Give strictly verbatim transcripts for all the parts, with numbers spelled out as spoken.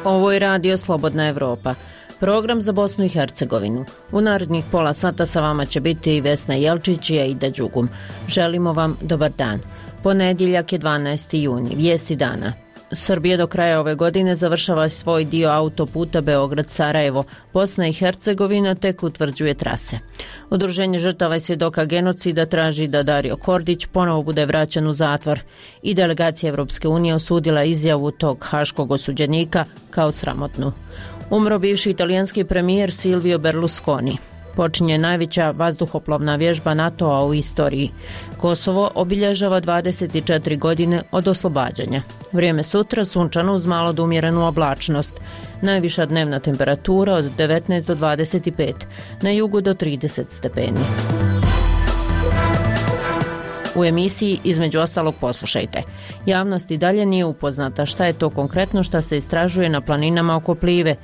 Ovo je Radio Slobodna Evropa, program za Bosnu i Hercegovinu. U narednih pola sata sa vama će biti Vesna Jelčić i Aida Đugum. Želimo vam dobar dan. Ponedjeljak je dvanaesti juni, vijesti dana. Srbija do kraja ove godine završava svoj dio autoputa Beograd-Sarajevo. Bosna i Hercegovina tek utvrđuje trase. Udruženje žrtava i svjedoka genocida traži da Dario Kordić ponovo bude vraćen u zatvor i delegacija Evropske unije osudila izjavu tog haškog osuđenika kao sramotnu. Umro bivši italijanski premijer Silvio Berlusconi. Počinje najveća vazduhoplovna vježba NATO-a u istoriji. Kosovo obilježava dvadeset četiri godine od oslobađanja. Vrijeme sutra sunčano uz malo do umjerenu oblačnost. Najviša dnevna temperatura od devetnaest do dvadeset pet, na jugu do trideset stepeni. U emisiji između ostalog poslušajte. Javnost i dalje nije upoznata šta je to konkretno šta se istražuje na planinama oko Plive,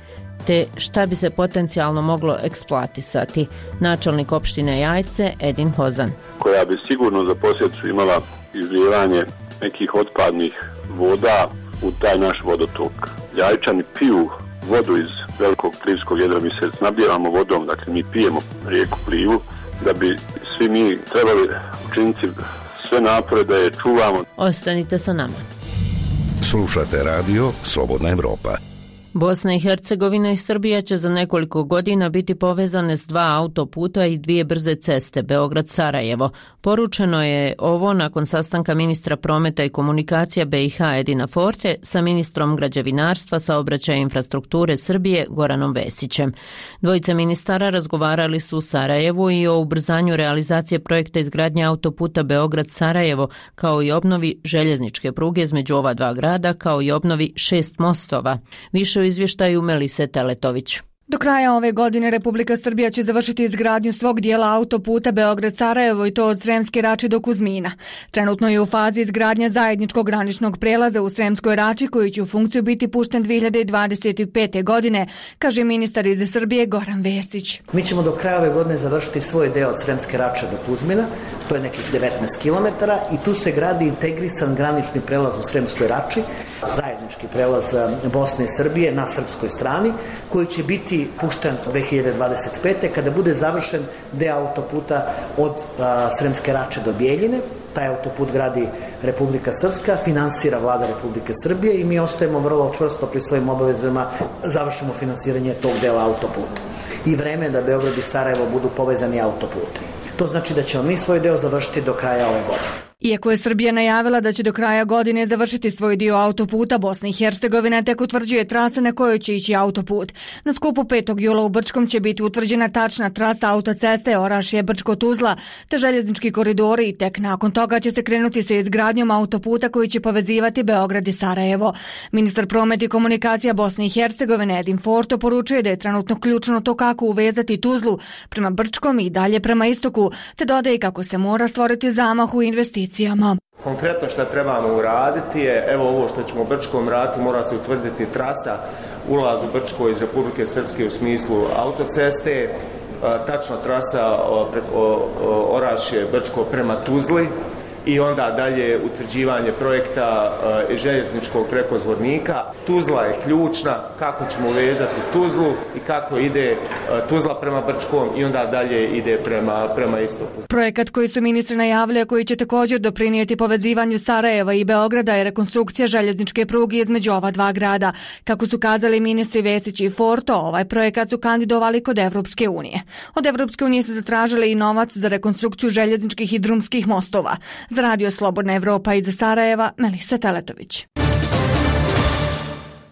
te šta bi se potencijalno moglo eksploatisati. Načelnik opštine Jajce Edin Hozan. Koja bi sigurno za posljedicu imala izlijevanje nekih otpadnih voda u taj naš vodotok. Jajčani piju vodu iz velikog plivskog jedra, mi se snabdijevamo vodom, dakle mi pijemo rijeku Plivu, da bi svi mi trebali učiniti sve napore da je čuvamo. Ostanite sa nama. Slušate radio Slobodna Evropa. Bosna i Hercegovina i Srbija će za nekoliko godina biti povezane s dva autoputa i dvije brze ceste Beograd-Sarajevo. Poručeno je ovo nakon sastanka ministra prometa i komunikacija B i H Edina Forte sa ministrom građevinarstva, saobraćaja i infrastrukture Srbije Goranom Vesićem. Dvojica ministara razgovarali su u Sarajevu i o ubrzanju realizacije projekta izgradnje autoputa Beograd-Sarajevo, kao i obnovi željezničke pruge između ova dva grada, kao i obnovi šest mostova. Više u izvještaju Melise Teletović. Do kraja ove godine Republika Srbija će završiti izgradnju svog dijela autoputa Beograd-Sarajevo i to od Sremske Rače do Kuzmina. Trenutno je u fazi izgradnja zajedničkog graničnog prelaza u Sremskoj Rači koji će u funkciju biti pušten dvije hiljade dvadeset pete. godine, kaže ministar iz Srbije Goran Vesić. Mi ćemo do kraja ove godine završiti svoj deo od Sremske Rače do Kuzmina, to je nekih devetnaest kilometara i tu se gradi integrisan granični prelaz u Sremskoj Rači, zajednički prelaz Bosne i Srbije na srpskoj strani, koji će biti pušten dvije hiljade dvadeset pete. kada bude završen deo autoputa od a, Sremske Rače do Bijeljine. Taj autoput gradi Republika Srpska, finansira vlada Republike Srbije i mi ostajemo vrlo čvrsto pri svojim obavezama, završimo finansiranje tog dela autoputa. I vreme je da Beograd i Sarajevo budu povezani autoputem. To znači da ćemo mi svoj deo završiti do kraja ove godine. Iako je Srbija najavila da će do kraja godine završiti svoj dio autoputa, Bosna i Hercegovina tek utvrđuje trase na kojoj će ići autoput. Na skupu petog jula u Brčkom će biti utvrđena tačna trasa autoceste Orašje-Brčko-Tuzla te željeznički koridori i tek nakon toga će se krenuti sa izgradnjom autoputa koji će povezivati Beograd i Sarajevo. Ministar prometa i komunikacija Bosne i Hercegovine Edin Forte poručuje da je trenutno ključno to kako uvezati Tuzlu prema Brčkom i dalje prema istoku, te dodaje kako se mora stvoriti zamah u investiciji. Konkretno što trebamo uraditi je, evo ovo što ćemo Brčkom raditi, mora se utvrditi trasa ulaz u Brčko iz Republike Srpske u smislu autoceste, tačna trasa preko Orašje Brčko prema Tuzli i onda dalje utvrđivanje projekta e, željezničkog prekozvodnika. Tuzla je ključna, kako ćemo vezati Tuzlu i kako ide e, Tuzla prema Brčkom i onda dalje ide prema, prema istoku. Projekat koji su ministri najavili, koji će također doprinijeti povezivanju Sarajeva i Beograda, je rekonstrukcija željezničke pruge između ova dva grada. Kako su kazali ministri Vesić i Forto, ovaj projekat su kandidovali kod Evropske unije. Od Evropske unije su zatražili i novac za rekonstrukciju željezničkih i drumskih mostova. Za Radio Slobodna Evropa iz Sarajeva, Melisa Teletović.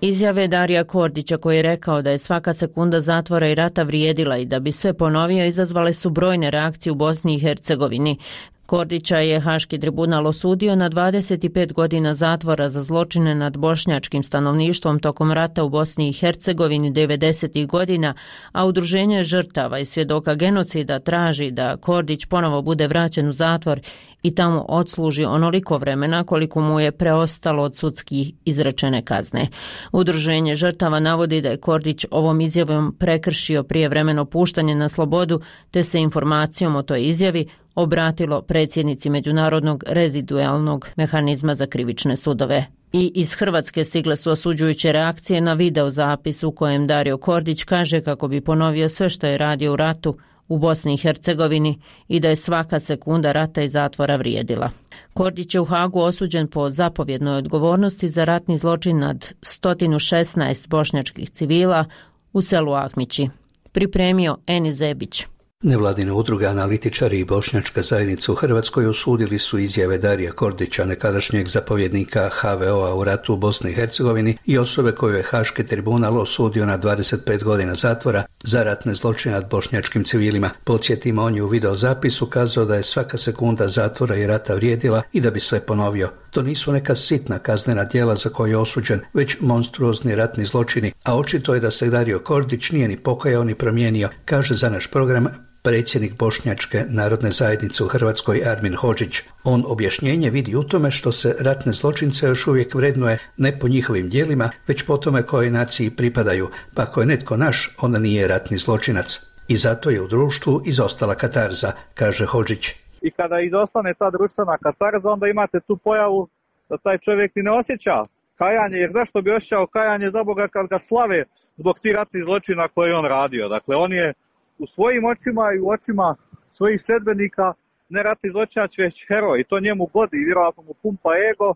Izjave Darija Kordića, koji je rekao da je svaka sekunda zatvora i rata vrijedila i da bi sve ponovio, izazvale su brojne reakcije u Bosni i Hercegovini. Kordića je Haški tribunal osudio na dvadeset pet godina zatvora za zločine nad bošnjačkim stanovništvom tokom rata u Bosni i Hercegovini devedesetih godina, a udruženje žrtava i svjedoka genocida traži da Kordić ponovo bude vraćen u zatvor i tamo odsluži onoliko vremena koliko mu je preostalo od sudskih izrečene kazne. Udruženje žrtava navodi da je Kordić ovom izjavom prekršio prijevremeno puštanje na slobodu, te se informacijom o toj izjavi obratilo predsjednici Međunarodnog rezidualnog mehanizma za krivične sudove. I iz Hrvatske stigle su osuđujuće reakcije na video zapis u kojem Dario Kordić kaže kako bi ponovio sve što je radio u ratu u Bosni i Hercegovini i da je svaka sekunda rata i zatvora vrijedila. Kordić je u Hagu osuđen po zapovjednoj odgovornosti za ratni zločin nad sto šesnaest bošnjačkih civila u selu Ahmići. Pripremio Eni Zebić. Nevladine udruge, analitičari i bošnjačka zajednica u Hrvatskoj osudili su izjave Darija Kordića, nekadašnjeg zapovjednika ha ve o a u ratu u Bosni i Hercegovini i osobe koju je Haški tribunal osudio na dvadeset pet godina zatvora za ratne zločine nad bošnjačkim civilima. Podsjetimo, on je u videozapisu kazao da je svaka sekunda zatvora i rata vrijedila i da bi sve ponovio. To nisu neka sitna kaznena djela za koje je osuđen, već monstruozni ratni zločini, a očito je da se Dario Kordić nije ni pokajao ni promijenio, kaže za naš program predsjednik Bošnjačke narodne zajednice u Hrvatskoj Armin Hodžić. On objašnjenje vidi u tome što se ratne zločince još uvijek vrednuje ne po njihovim djelima, već po tome kojoj naciji pripadaju, pa ako je netko naš, onda nije ratni zločinac. I zato je u društvu izostala katarza, kaže Hodžić. I kada izostane ta društvena katarza, onda imate tu pojavu da taj čovjek ni ne osjeća kajanje, jer zašto bi osjećao kajanje za Boga kad ga slave zbog tih ratnih zločina koje je on radio. Dakle, on je u svojim očima i u očima svojih sledbenika ne ratni zločinac, već heroj. I to njemu godi i vjerojatno mu pumpa ego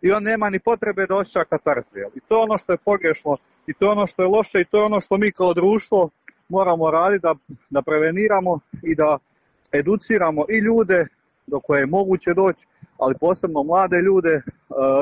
i on nema ni potrebe da osjeća katarzu. I to je ono što je pogrešno i to je ono što je loše i to je ono što mi kao društvo moramo raditi da, da preveniramo i da educiramo i ljude do koje je moguće doći, ali posebno mlade ljude,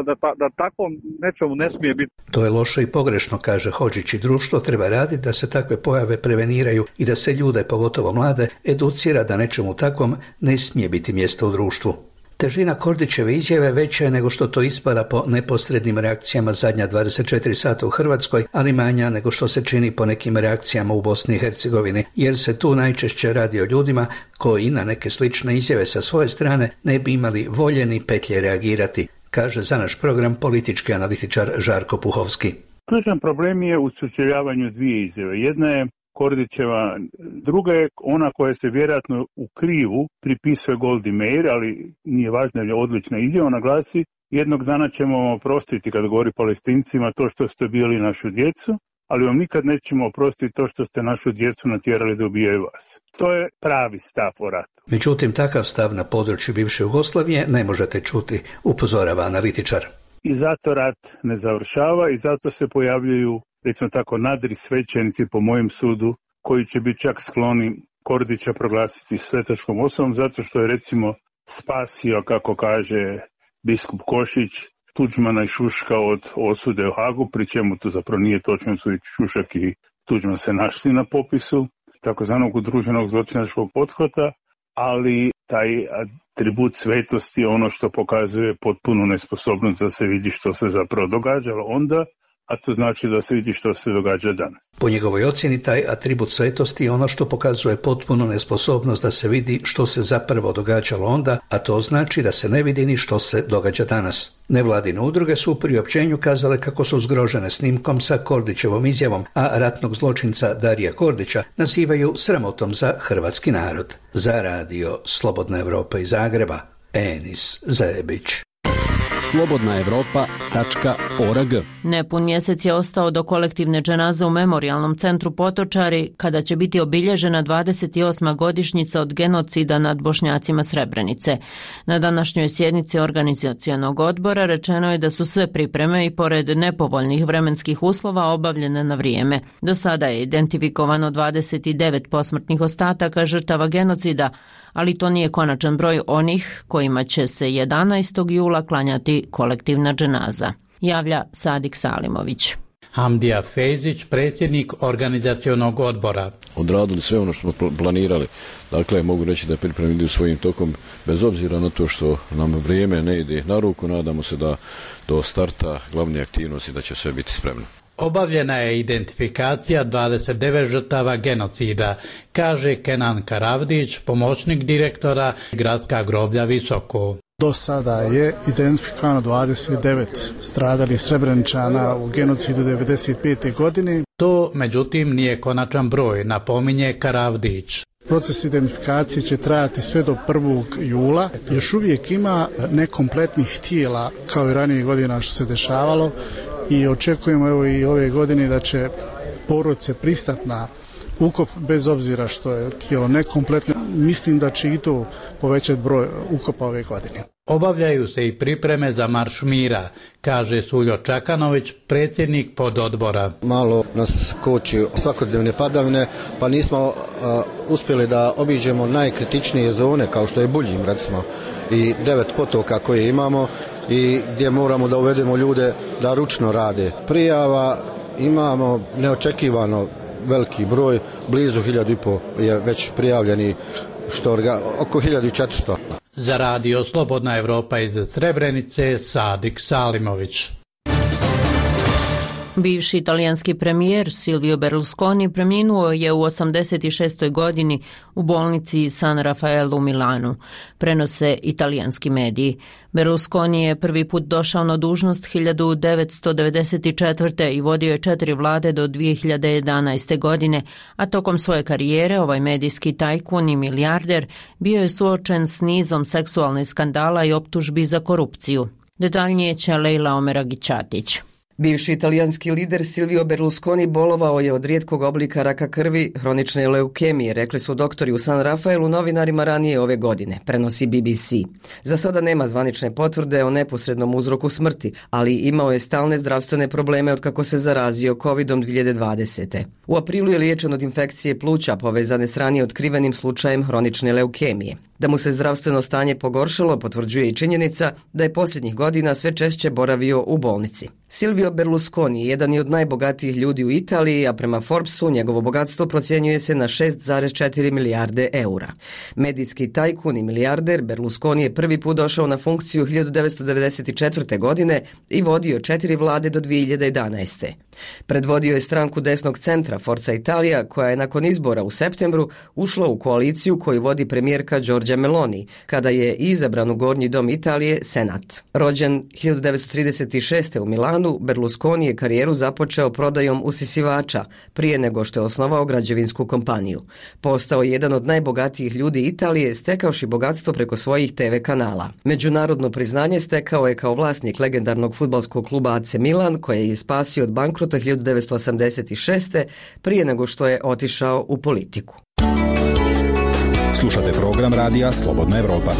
da, ta, da tako nečemu ne smije biti. To je loše i pogrešno, kaže Hodžić, i društvo treba raditi da se takve pojave preveniraju i da se ljude, pogotovo mlade, educira da nečemu takvom ne smije biti mjesto u društvu. Težina Kordićeve izjave veća je nego što to ispada po neposrednim reakcijama zadnja dvadeset četiri sata u Hrvatskoj, ali manja nego što se čini po nekim reakcijama u Bosni i Hercegovini, jer se tu najčešće radi o ljudima koji na neke slične izjave sa svoje strane ne bi imali volje ni petlje reagirati, kaže za naš program politički analitičar Žarko Puhovski. Ključan problem je u sučeljavanju dvije izjave. Jedna je Kordićeva, druga je ona koja se vjerojatno u krivu pripisuje Goldi Meir, ali nije važno, je odlična izjava, ona glasi: jednog dana ćemo vam oprostiti, kad govori Palestincima, to što ste bili našu djecu, ali vam nikad nećemo oprostiti to što ste našu djecu natjerali da ubijaju vas. To je pravi stav o ratu. Međutim, takav stav na području bivše Jugoslavije ne možete čuti, upozorava analitičar. I zato rat ne završava i zato se pojavljuju, recimo tako, nadri svećenici po mojem sudu, koji će biti čak skloni Kordića proglasiti svetačkom osobom, zato što je, recimo, spasio, kako kaže biskup Košić, Tuđmana i Šuška od osude u Hagu, pri čemu to zapravo nije točno, su i Šušak i Tuđman se našli na popisu takozvanog udruženog zločinačkog pothvata, ali taj atribut svetosti je ono što pokazuje potpunu nesposobnost da se vidi što se zapravo događalo onda, a to znači da se vidi što se događa danas. Po njegovoj ocjeni, taj atribut svetosti je ono što pokazuje potpunu nesposobnost da se vidi što se zapravo događalo onda, a to znači da se ne vidi ni što se događa danas. Nevladine udruge su u priopćenju kazale kako su zgrožene snimkom sa Kordićevom izjavom, a ratnog zločinca Darija Kordića nazivaju sramotom za hrvatski narod. Za radio Slobodna Evropa iz Zagreba, Enis Zebić. slobodna evropa tačka org. Nepun mjesec je ostao do kolektivne dženaze u Memorijalnom centru Potočari, kada će biti obilježena dvadeset osma godišnjica od genocida nad Bošnjacima Srebrenice. Na današnjoj sjednici organizacionog odbora rečeno je da su sve pripreme i pored nepovoljnih vremenskih uslova obavljene na vrijeme. Do sada je identifikovano dvadeset devet posmrtnih ostataka žrtava genocida, ali to nije konačan broj onih kojima će se jedanaestog jula klanjati kolektivna dženaza, javlja Sadik Salimović. Hamdija Fejzić, predsjednik organizacionog odbora. Odradili sve ono što smo planirali. Dakle, mogu reći da pripreme idu svojim tokom, bez obzira na to što nam vrijeme ne ide na ruku. Nadamo se da do starta glavne aktivnosti da će sve biti spremno. Obavljena je identifikacija dvadeset devet žrtava genocida, kaže Kenan Karavdić, pomoćnik direktora Gradska groblja Visoko. Do sada je identifikovano dvadeset devet stradalih Srebreničana u genocidu devedeset pete godine. To, međutim, nije konačan broj, napominje Karavdić. Proces identifikacije će trajati sve do prvog jula. Još uvijek ima nekompletnih tijela kao i ranije godina što se dešavalo i očekujemo evo i ove godine da će porodice pristati na ukop bez obzira što je tijelo nekompletno. Mislim da će i to povećati broj ukopa ove godine. Obavljaju se i pripreme za Marš mira, kaže Suljo Čakanović, predsjednik pododbora. Malo nas koči svakodnevne padavine, pa nismo uh, uspjeli da obiđemo najkritičnije zone, kao što je Buljim, recimo, i devet potoka koje imamo i gdje moramo da uvedemo ljude da ručno rade. Prijava imamo neočekivano veliki broj, blizu hiljadu i po je već prijavljeni, što orga, oko hiljadu i četiristo. Za radio Slobodna Evropa iz Srebrenice, Sadik Salimović. Bivši italijanski premijer Silvio Berlusconi preminuo je u osamdeset šestoj godini u bolnici San Raffaele u Milanu, prenose italijanski mediji. Berlusconi je prvi put došao na dužnost hiljadu devetsto devedeset četvrte. i vodio je četiri vlade do dvije hiljade jedanaeste. godine, a tokom svoje karijere ovaj medijski tajkun i milijarder bio je suočen s nizom seksualnih skandala i optužbi za korupciju. Detaljnije će Lejla Omeragićatić. Bivši italijanski lider Silvio Berlusconi bolovao je od rijetkog oblika raka krvi, hronične leukemije, rekli su doktori u San Rafaelu novinarima ranije ove godine, prenosi B B C. Za sada nema zvanične potvrde o neposrednom uzroku smrti, ali imao je stalne zdravstvene probleme od kako se zarazio kovidom dvije hiljade dvadesete. U aprilu je liječen od infekcije pluća povezane s ranije otkrivenim slučajem hronične leukemije. Da mu se zdravstveno stanje pogoršalo potvrđuje i činjenica da je posljednjih godina sve češće boravio u bolnici. Silvio Berlusconi jedan je od najbogatijih ljudi u Italiji, a prema Forbesu njegovo bogatstvo procjenjuje se na šest zarez četiri milijarde eura. Medijski tajkun i milijarder Berlusconi je prvi put došao na funkciju hiljadu devetsto devedeset četvrte. godine i vodio četiri vlade do dvije hiljade jedanaeste. Predvodio je stranku desnog centra Forza Italia, koja je nakon izbora u septembru ušla u koaliciju koju vodi premijerka Giorgia Meloni, kada je izabran u Gornji dom Italije, Senat. Rođen hiljadu devetsto trideset šeste. u Milanu, Berlusconi je karijeru započeo prodajom usisivača prije nego što je osnovao građevinsku kompaniju. Postao je jedan od najbogatijih ljudi Italije, stekavši bogatstvo preko svojih te ve kanala. Međunarodno priznanje stekao je kao vlasnik legendarnog fudbalskog kluba A C Milan, koje je spasio od bankrota hiljadu devetsto osamdeset šeste. prije nego što je otišao u politiku. Slušate program radija Slobodna Evropa.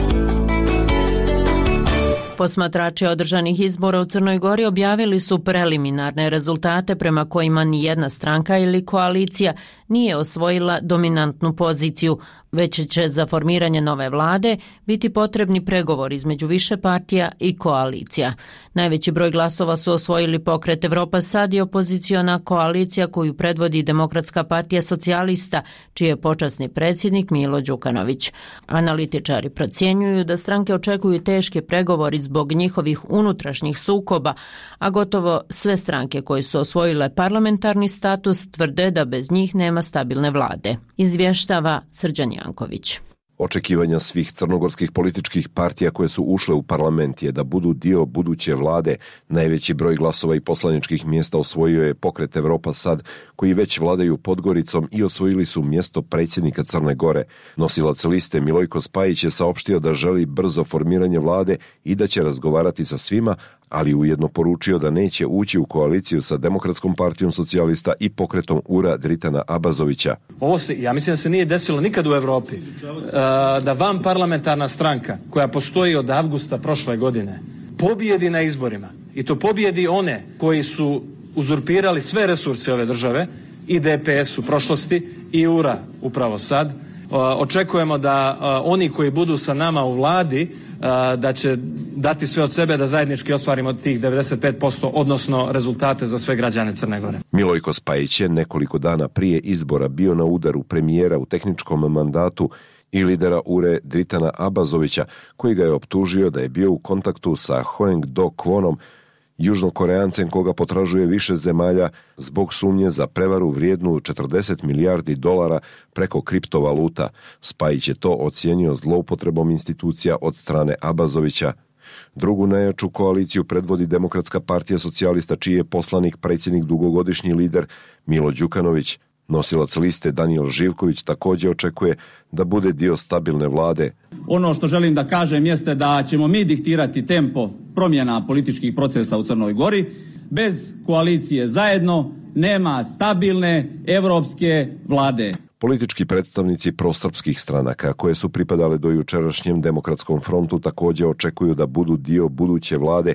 Posmatrači održanih izbora u Crnoj Gori objavili su preliminarne rezultate prema kojima ni jedna stranka ili koalicija nije osvojila dominantnu poziciju, već će za formiranje nove vlade biti potrebni pregovori između više partija i koalicija. Najveći broj glasova su osvojili Pokret Evropa Sad i opoziciona koalicija koju predvodi Demokratska partija socijalista, čiji je počasni predsjednik Milo Đukanović. Analitičari procjenjuju da stranke očekuju teške pregovori zbog njihovih unutrašnjih sukoba, a gotovo sve stranke koje su osvojile parlamentarni status tvrde da bez njih nema stabilne vlade. Izvještava Srđan Janković. Očekivanja svih crnogorskih političkih partija koje su ušle u parlament je da budu dio buduće vlade. Najveći broj glasova i poslaničkih mjesta osvojio je Pokret Evropa Sad, koji već vladaju Podgoricom i osvojili su mjesto predsjednika Crne Gore. Nosilac liste Milojko Spajić je saopštio da želi brzo formiranje vlade i da će razgovarati sa svima, ali ujedno poručio da neće ući u koaliciju sa Demokratskom partijom socijalista i pokretom Ura Dritana Abazovića. Ovo se, ja mislim da se nije desilo nikad u Evropi, da van parlamentarna stranka koja postoji od avgusta prošle godine pobjedi na izborima, i to pobjedi one koji su uzurpirali sve resurse ove države, i D P S u prošlosti i Ura upravo sad. Očekujemo da oni koji budu sa nama u vladi da će dati sve od sebe da zajednički ostvarimo tih devedeset pet posto, odnosno rezultate za sve građane Crne Gore. Milojko Spajić je nekoliko dana prije izbora bio na udaru premijera u tehničkom mandatu i lidera Ure Dritana Abazovića, koji ga je optužio da je bio u kontaktu sa Hoeng Do Kvonom, Južnokoreancem koga potražuje više zemalja zbog sumnje za prevaru vrijednu četrdeset milijardi dolara preko kriptovaluta. Spajić je to ocijenio zloupotrebom institucija od strane Abazovića. Drugu najjaču koaliciju predvodi Demokratska partija socijalista, čiji je poslanik predsjednik dugogodišnji lider Milo Đukanović. Nosilac liste Danijel Živković također očekuje da bude dio stabilne vlade. Ono što želim da kažem jeste da ćemo mi diktirati tempo promjena političkih procesa u Crnoj Gori. Bez koalicije zajedno nema stabilne evropske vlade. Politički predstavnici prosrpskih stranaka koje su pripadale do jučerašnjem Demokratskom frontu također očekuju da budu dio buduće vlade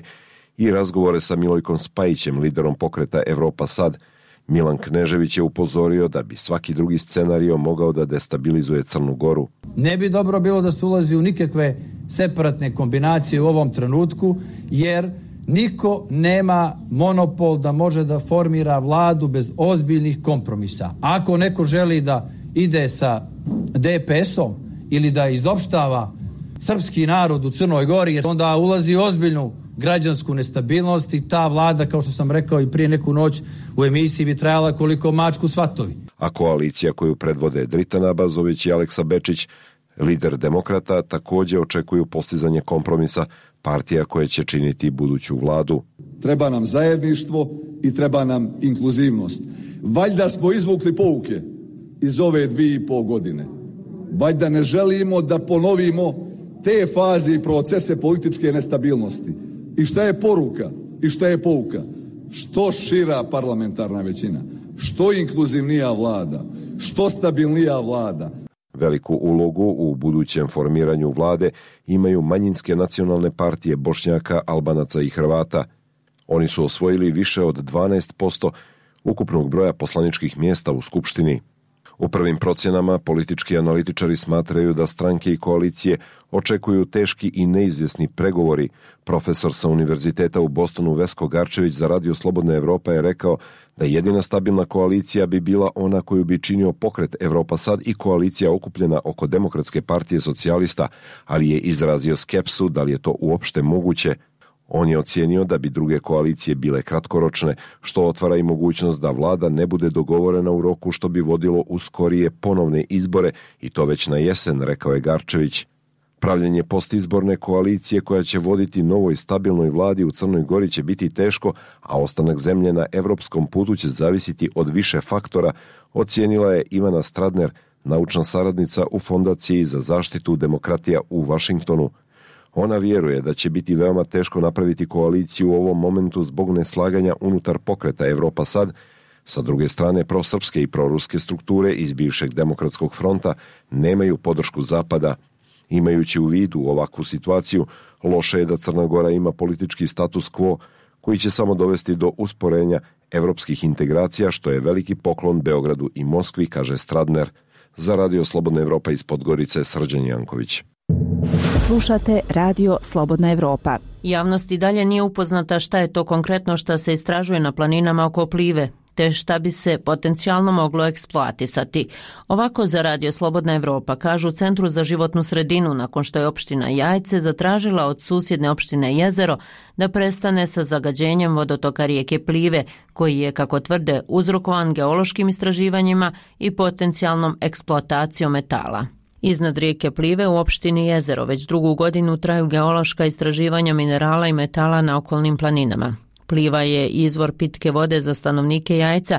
i razgovore sa Milojkom Spajićem, liderom pokreta Evropa Sad. Milan Knežević je upozorio da bi svaki drugi scenario mogao da destabilizuje Crnu Goru. Ne bi dobro bilo da se ulazi u nikakve separatne kombinacije u ovom trenutku, jer niko nema monopol da može da formira vladu bez ozbiljnih kompromisa. Ako neko želi da ide sa D P S-om ili da izopštava srpski narod u Crnoj Gori, onda ulazi u ozbiljnu građansku nestabilnost i ta vlada, kao što sam rekao i prije neku noć u emisiji, bi trajala koliko mačku svatovi. A koalicija koju predvode Dritan Abazović i Aleksa Bečić, lider Demokrata, također očekuju postizanje kompromisa partija koje će činiti buduću vladu. Treba nam zajedništvo i treba nam inkluzivnost. Valjda smo izvukli pouke iz ove dvije i pol godine. Valjda ne želimo da ponovimo te faze i procese političke nestabilnosti. I šta je poruka? I šta je pouka? Što šira parlamentarna većina, što inkluzivnija vlada, što stabilnija vlada. Veliku ulogu u budućem formiranju vlade imaju manjinske nacionalne partije Bošnjaka, Albanaca i Hrvata. Oni su osvojili više od dvanaest posto ukupnog broja poslaničkih mjesta u Skupštini. U prvim procjenama politički analitičari smatraju da stranke i koalicije očekuju teški i neizvjesni pregovori. Profesor sa Univerziteta u Bostonu Vesko Garčević za Radio Slobodna Evropa je rekao da jedina stabilna koalicija bi bila ona koju bi činio pokret Evropa Sad i koalicija okupljena oko Demokratske partije socijalista, ali je izrazio skepsu da li je to uopšte moguće. On je ocijenio da bi druge koalicije bile kratkoročne, što otvara i mogućnost da vlada ne bude dogovorena u roku, što bi vodilo u skorije ponovne izbore i to već na jesen, rekao je Garčević. Pravljenje postizborne koalicije koja će voditi novoj stabilnoj vladi u Crnoj Gori će biti teško, a ostanak zemlje na evropskom putu će zavisiti od više faktora, ocijenila je Ivana Stradner, naučna saradnica u Fondaciji za zaštitu demokratija u Vašingtonu. Ona vjeruje da će biti veoma teško napraviti koaliciju u ovom momentu zbog neslaganja unutar pokreta Evropa Sad. Sa druge strane, prosrpske i proruske strukture iz bivšeg Demokratskog fronta nemaju podršku Zapada. Imajući u vidu ovakvu situaciju, loše je da Crna Gora ima politički status quo koji će samo dovesti do usporenja evropskih integracija, što je veliki poklon Beogradu i Moskvi, kaže Stradner. Za Radio Slobodna Evropa iz Podgorice, Srđan Janković. Slušate Radio Slobodna Evropa. Javnost i dalje nije upoznata šta je to konkretno šta se istražuje na planinama oko Plive, te šta bi se potencijalno moglo eksploatisati. Ovako za Radio Slobodna Evropa kažu u Centru za životnu sredinu, nakon što je opština Jajce zatražila od susjedne opštine Jezero da prestane sa zagađenjem vodotoka rijeke Plive, koji je, kako tvrde, uzrokovan geološkim istraživanjima i potencijalnom eksploatacijom metala. Iznad rijeke Plive u opštini Jezero već drugu godinu traju geološka istraživanja minerala i metala na okolnim planinama. Pliva je izvor pitke vode za stanovnike Jajca,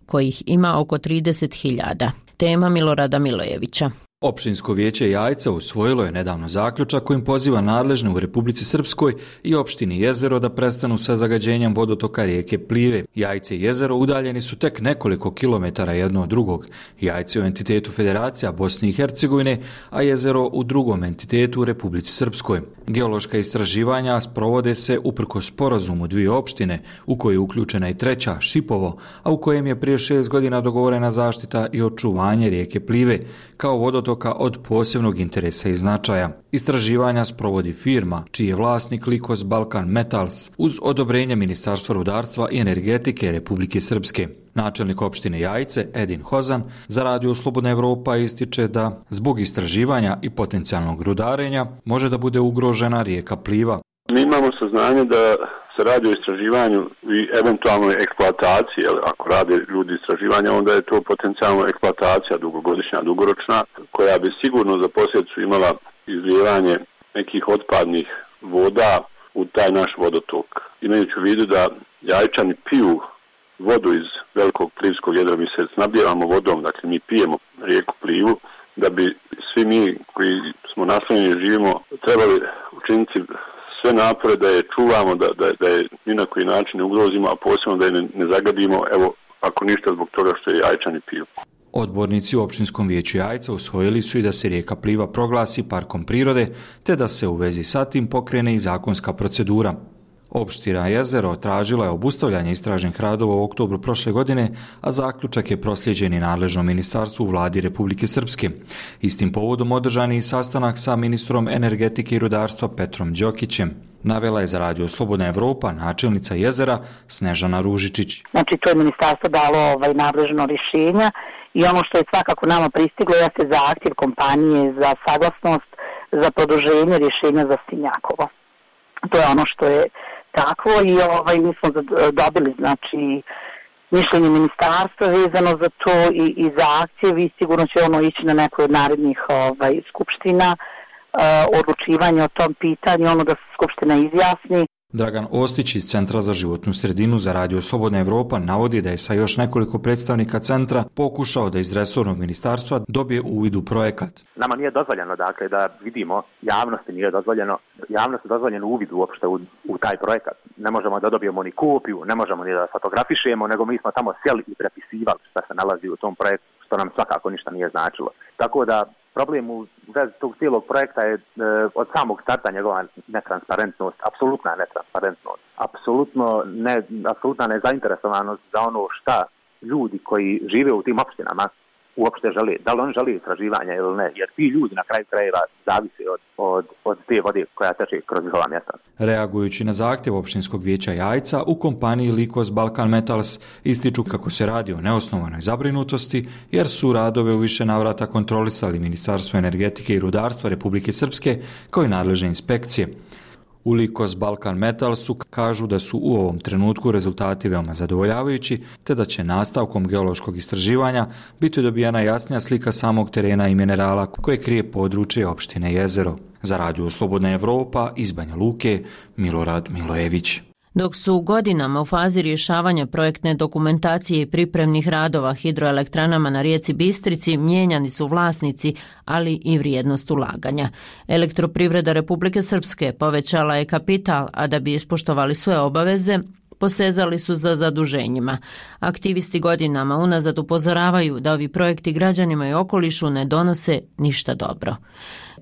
kojih ima oko trideset hiljada. Tema Milorada Milojevića. Opštinsko vijeće Jajca usvojilo je nedavno zaključak kojim poziva nadležne u Republici Srpskoj i opštini Jezero da prestanu sa zagađenjem vodotoka rijeke Plive. Jajce i Jezero udaljeni su tek nekoliko kilometara jedno od drugog. Jajce u entitetu Federacija Bosne i Hercegovine, a Jezero u drugom entitetu u Republici Srpskoj. Geološka istraživanja sprovode se uprkos sporazumu dvije opštine, u kojoj je uključena i treća, Šipovo, a u kojem je prije šest godina dogovorena zaštita i očuvanje rijeke Plive, kao vodotoka od posebnog interesa i značaja. Istraživanja sprovodi firma, čiji je vlasnik Likos Balkan Metals, uz odobrenje Ministarstva rudarstva i energetike Republike Srpske. Načelnik opštine Jajce, Edin Hozan, za Radio Slobodna Evropa ističe da zbog istraživanja i potencijalnog rudarenja može da bude ugrožena rijeka Pliva. Mi imamo saznanje da se radi o istraživanju i eventualnoj eksploataciji, jer ako rade ljudi istraživanja, onda je to potencijalno eksploatacija dugogodišnja, dugoročna, koja bi sigurno za posljedicu imala izlijevanje nekih otpadnih voda u taj naš vodotok. Imajući u vidu da Jajčani piju vodu iz velikog plivskog jedra, mi se snabdijevamo vodom, dakle mi pijemo rijeku Plivu, da bi svi mi koji smo naslonjeni i živimo trebali učiniti sve napore da je čuvamo, da, da, da je ni na koji način ne ugrozimo, a posebno da je ne, ne zagadimo, evo, ako ništa zbog toga što je Jajčani piju. Odbornici u Općinskom vijeću Jajca usvojili su i da se rijeka Pliva proglasi parkom prirode, te da se u vezi sa tim pokrene i zakonska procedura. Opština Jezero tražila je obustavljanje istražnih radova u oktobru prošle godine, a zaključak je proslijeđen i nadležnom ministarstvu u vladi Republike Srpske. Istim povodom održan je i sastanak sa ministrom energetike i rudarstva Petrom Đokićem. Navela je za Radio Slobodna Evropa načelnica Jezera Snežana Ružičić. Znači, to je ministarstvo dalo ovaj nadležno rješenja i ono što je svakako nama pristiglo jeste zahtjev kompanije za saglasnost za produženje rješenja za Stinjakovo. To je ono što je takvo i ovaj, mi smo dobili znači mišljenje ministarstva vezano za to i, i za akcije i sigurno će ono ići na nekoj od narednih ovaj, skupština uh, odlučivanje o tom pitanju, ono da se skupština izjasni. Dragan Ostić iz Centra za životnu sredinu za Radio Slobodna Evropa navodi da je sa još nekoliko predstavnika centra pokušao da iz resornog ministarstva dobije uvid u projekat. Nama nije dozvoljeno dakle da vidimo, javnosti nije dozvoljeno, javnosti je dozvoljeno uvid uopšte u, u taj projekat. Ne možemo da dobijemo ni kopiju, ne možemo ni da fotografišemo, nego mi smo tamo sjeli i prepisivali šta se nalazi u tom projektu, što nam svakako ništa nije značilo. Tako da problem u vezi tog cijelog projekta je e, od samog starta njegova netransparentnost, apsolutna netransparentnost, apsolutno ne, apsolutna nezainteresovanost za ono šta ljudi koji žive u tim opštinama uopšte žele. Da li oni žele istraživanja ili ne, jer ti ljudi na kraju krajeva zavise od, od, od te vode koja teče kroz njihova mjesta. Reagujući na zahtjev Općinskog vijeća Jajca, u kompaniji Likos Balkan Metals ističu kako se radi o neosnovanoj zabrinutosti, jer su radove u više navrata kontrolisali Ministarstvo energetike i rudarstva Republike Srpske kao i nadležne inspekcije. U Likos Balkan Metalsu kažu da su u ovom trenutku rezultati veoma zadovoljavajući, te da će nastavkom geološkog istraživanja biti dobijena jasnija slika samog terena i minerala koje krije područje opštine Jezero. Za Radio Slobodna Evropa iz Banja Luke, Milorad Milojević. Dok su godinama u fazi rješavanja projektne dokumentacije i pripremnih radova hidroelektranama na rijeci Bistrici, mijenjani su vlasnici, ali i vrijednost ulaganja. Elektroprivreda Republike Srpske povećala je kapital, a da bi ispoštovali sve obaveze, posezali su za zaduženjima. Aktivisti godinama unazad upozoravaju da ovi projekti građanima i okolišu ne donose ništa dobro.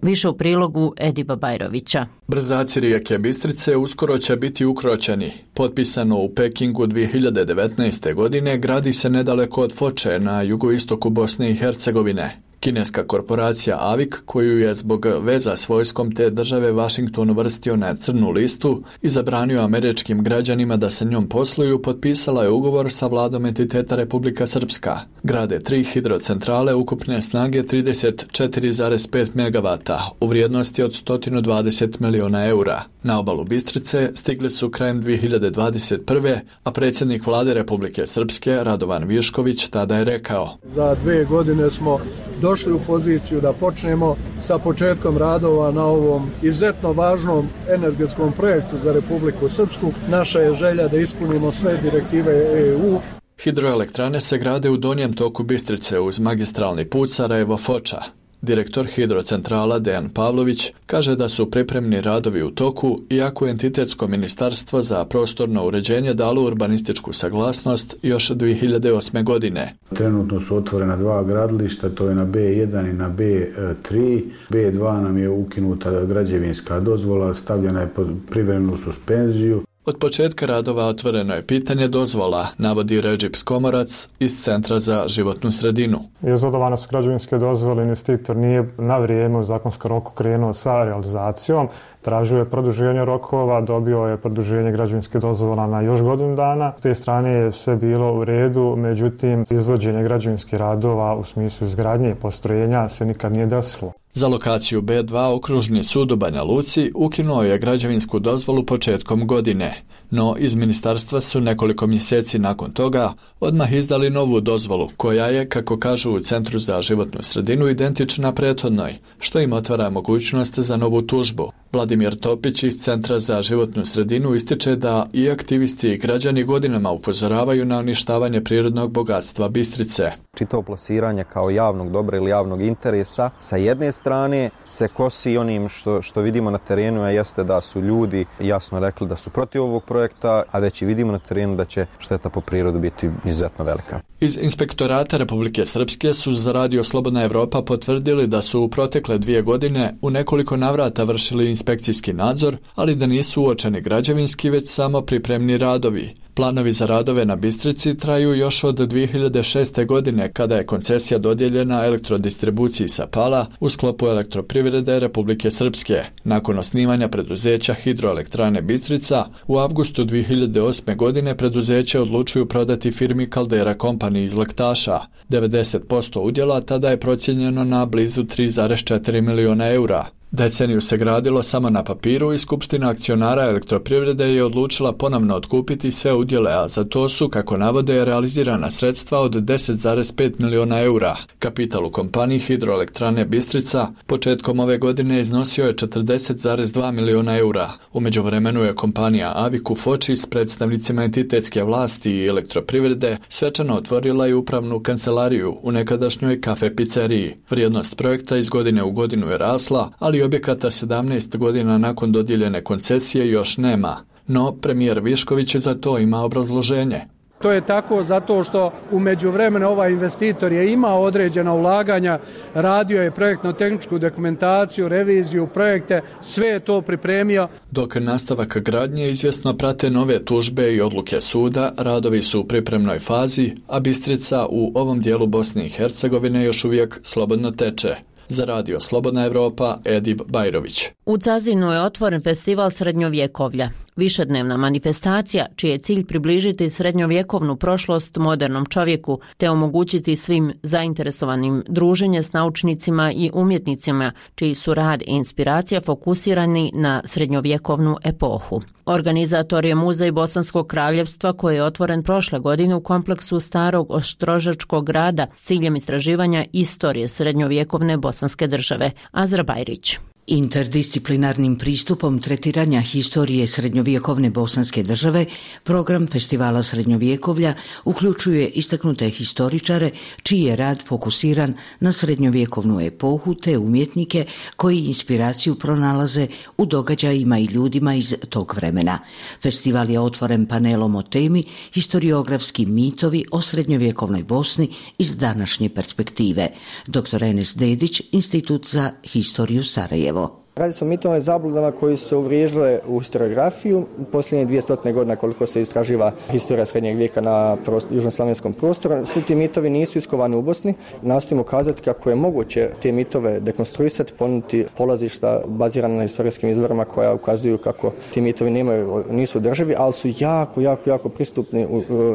Više u prilogu Ediba Bajrovića. Brzaci rijeke Bistrice uskoro će biti ukročeni. Potpisano u Pekingu dvije hiljade devetnaeste. godine, gradi se nedaleko od Foče na jugoistoku Bosne i Hercegovine. Kineska korporacija A V I K, koju je zbog veza s vojskom te države Washington uvrstio na crnu listu i zabranio američkim građanima da sa njom posluju, potpisala je ugovor sa vladom entiteta Republika Srpska. Grade tri hidrocentrale ukupne snage trideset četiri zarez pet megavata u vrijednosti od sto dvadeset miliona eura. Na obalu Bistrice stigli su krajem dvije hiljade dvadeset prve. a predsjednik vlade Republike Srpske Radovan Višković tada je rekao: Za dve godine smo došli u poziciju da počnemo sa početkom radova na ovom izuzetno važnom energetskom projektu za Republiku Srpsku. Naša je želja da ispunimo sve direktive E U. Hidroelektrane se grade u donjem toku Bistrice uz magistralni put Sarajevo-Foča. Direktor hidrocentrala Dejan Pavlović kaže da su pripremni radovi u toku, iako entitetsko ministarstvo za prostorno uređenje dalo urbanističku saglasnost još dvije hiljade osme. godine. Trenutno su otvorena dva gradilišta, to je na B jedan i na B tri. B dva nam je ukinuta građevinska dozvola, stavljena je pod privremenu suspenziju. Od početka radova otvoreno je pitanje dozvola, navodi Redžip Skomorac iz Centra za životnu sredinu. Izvodovane su građevinske dozvole, investitor nije na vrijeme u zakonskom roku krenuo sa realizacijom, tražio je produženje rokova, dobio je produženje građevinske dozvola na još godinu dana. S te strane je sve bilo u redu, međutim izvođenje građevinskih radova u smislu izgradnje postrojenja se nikad nije desilo. Za lokaciju B dva okružni sud u Banja Luci ukinuo je građevinsku dozvolu početkom godine, no iz ministarstva su nekoliko mjeseci nakon toga odmah izdali novu dozvolu, koja je, kako kažu u Centru za životnu sredinu, identična prethodnoj, što im otvara mogućnost za novu tužbu. Vladimir Topić iz Centra za životnu sredinu ističe da i aktivisti i građani godinama upozoravaju na uništavanje prirodnog bogatstva Bistrice. Čito plasiranje kao javnog dobra ili javnog interesa sa jedne strane se kosi onim što, što vidimo na terenu, a jeste da su ljudi jasno rekli da su protiv ovog projekta, a već i vidimo na terenu da će šteta po prirodu biti izuzetno velika. Iz Inspektorata Republike Srpske su za Radio Slobodna Evropa potvrdili da su u protekle dvije godine u nekoliko navrata vršili inspekcijski nadzor, ali da nisu uočeni građevinski, već samo pripremni radovi. Planovi za radove na Bistrici traju još od dvije hiljade šeste. godine, kada je koncesija dodijeljena elektrodistribuciji Sapala u sklopu Elektroprivrede Republike Srpske. Nakon osnivanja preduzeća Hidroelektrane Bistrica, u avgustu dvije hiljade osme. godine preduzeće odlučuju prodati firmi Caldera Company iz Lektaša. devedeset posto udjela tada je procijenjeno na blizu tri zarez četiri miliona eura. Deceniju se gradilo samo na papiru i Skupština akcionara Elektroprivrede je odlučila ponovno otkupiti sve udjele, a za to su, kako navode, realizirana sredstva od deset zarez pet miliona eura. Kapital u kompaniji Hidroelektrane Bistrica početkom ove godine iznosio je četrdeset zarez dva miliona eura. U međuvremenu je kompanija Aviku Foči s predstavnicima entitetske vlasti i Elektroprivrede svečano otvorila i upravnu kancelariju u nekadašnjoj kafe pizzeriji. Vrijednost projekta iz godine u godinu je rasla, ali objekata sedamnaest godina nakon dodijeljene koncesije još nema. No, premijer Višković za to ima obrazloženje. To je tako zato što u međuvremenu ovaj investitor je imao određena ulaganja, radio je projektno-tehničku dokumentaciju, reviziju, projekte, sve je to pripremio. Dok nastavak gradnje izvjesno prate nove tužbe i odluke suda, radovi su u pripremnoj fazi, a Bistrica u ovom dijelu Bosne i Hercegovine još uvijek slobodno teče. Za Radio Slobodna Evropa, Edib Bajrović. U Cazinu je otvoren festival srednjovjekovlja. Višednevna manifestacija čiji je cilj približiti srednjovjekovnu prošlost modernom čovjeku te omogućiti svim zainteresovanim druženje s naučnicima i umjetnicima čiji su rad i inspiracija fokusirani na srednjovjekovnu epohu. Organizator je Muzej Bosanskog kraljevstva koji je otvoren prošle godine u kompleksu Starog Ostrožačkog grada s ciljem istraživanja istorije srednjovjekovne bosanske države. Azra Bajrić. Interdisciplinarnim pristupom tretiranja historije srednjovjekovne bosanske države, program Festivala srednjovjekovlja uključuje istaknute historičare čiji je rad fokusiran na srednjovjekovnu epohu te umjetnike koji inspiraciju pronalaze u događajima i ljudima iz tog vremena. Festival je otvoren panelom o temi historiografski mitovi o srednjovjekovnoj Bosni iz današnje perspektive. doktor Enes Dedić, Institut za historiju Sarajevo. Radi se o mitovima i zabludama koji su se uvriježile u historiografiju. U posljednje dvije stotine godina koliko se istraživa historija srednjeg vijeka na prost, južnoslavenskom prostoru, svi ti mitovi nisu iskovani u Bosni. Nastojimo kazati kako je moguće te mitove dekonstruisati, ponuditi polazišta bazirane na historijskim izvorima koja ukazuju kako ti mitovi nemaju, nisu održivi, ali su jako, jako, jako pristupni,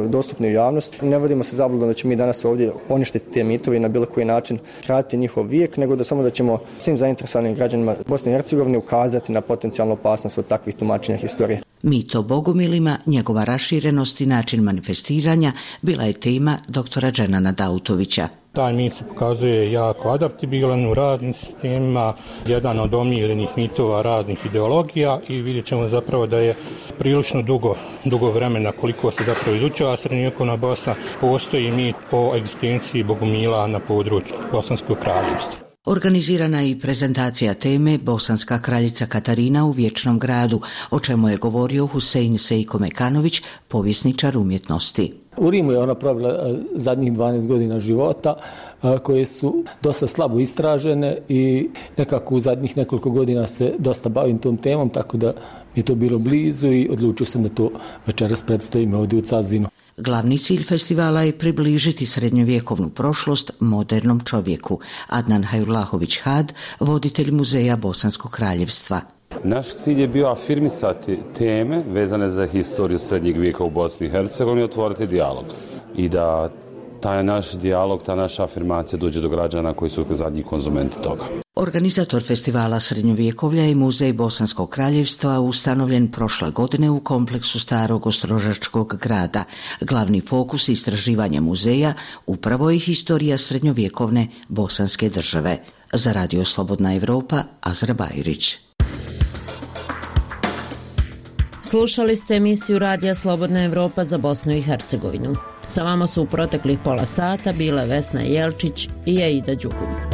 dostupni u javnosti. Ne vodimo se zabludom da ćemo mi danas ovdje poništiti te mitovi i na bilo koji način kratiti njihov vijek, nego da samo da ćemo svim zainteresovanim građanima Bosne i Hercegovine ukazati na potencijalnu opasnost od takvih tumačenja historije. Mit o bogumilima, njegova raširenost i način manifestiranja bila je tema doktora Dženana Dautovića. Taj mit se pokazuje jako adaptibilan u raznim sistemima, jedan od omiljenih mitova raznih ideologija i vidjet ćemo zapravo da je prilično dugo, dugo vremena koliko se zapravo izučava srednjovjekovna Bosna, postoji mit o egzistenciji bogumila na području Bosanskog kraljevstva. Organizirana je i prezentacija teme Bosanska kraljica Katarina u Vječnom gradu, o čemu je govorio Husein Sejko Mekanović, povjesničar umjetnosti. U Rimu je ona provela zadnjih dvanaest godina života koje su dosta slabo istražene i nekako u zadnjih nekoliko godina se dosta bavim tom temom, tako da mi je to bilo blizu i odlučio sam da to večeras predstavim ovdje u Cazinu. Glavni cilj festivala je približiti srednjovjekovnu prošlost modernom čovjeku. Adnan Hajrulahović Had, voditelj Muzeja Bosanskog kraljevstva. Naš cilj je bio afirmisati teme vezane za historiju srednjeg vijeka u Bosni i Hercegovini i otvoriti dijalog. I da taj naš dijalog, ta naša afirmacija dođe do građana koji su zadnji konzumenti toga. Organizator festivala srednjovjekovlja je Muzej Bosanskog kraljevstva ustanovljen prošle godine u kompleksu Starog Ostrožačkog grada. Glavni fokus istraživanja muzeja upravo je historija Slušali ste emisiju Radija Slobodna Evropa za Bosnu i Hercegovinu. Sa vama su u proteklih pola sata bile Vesna Jelčić i Aida Đugum.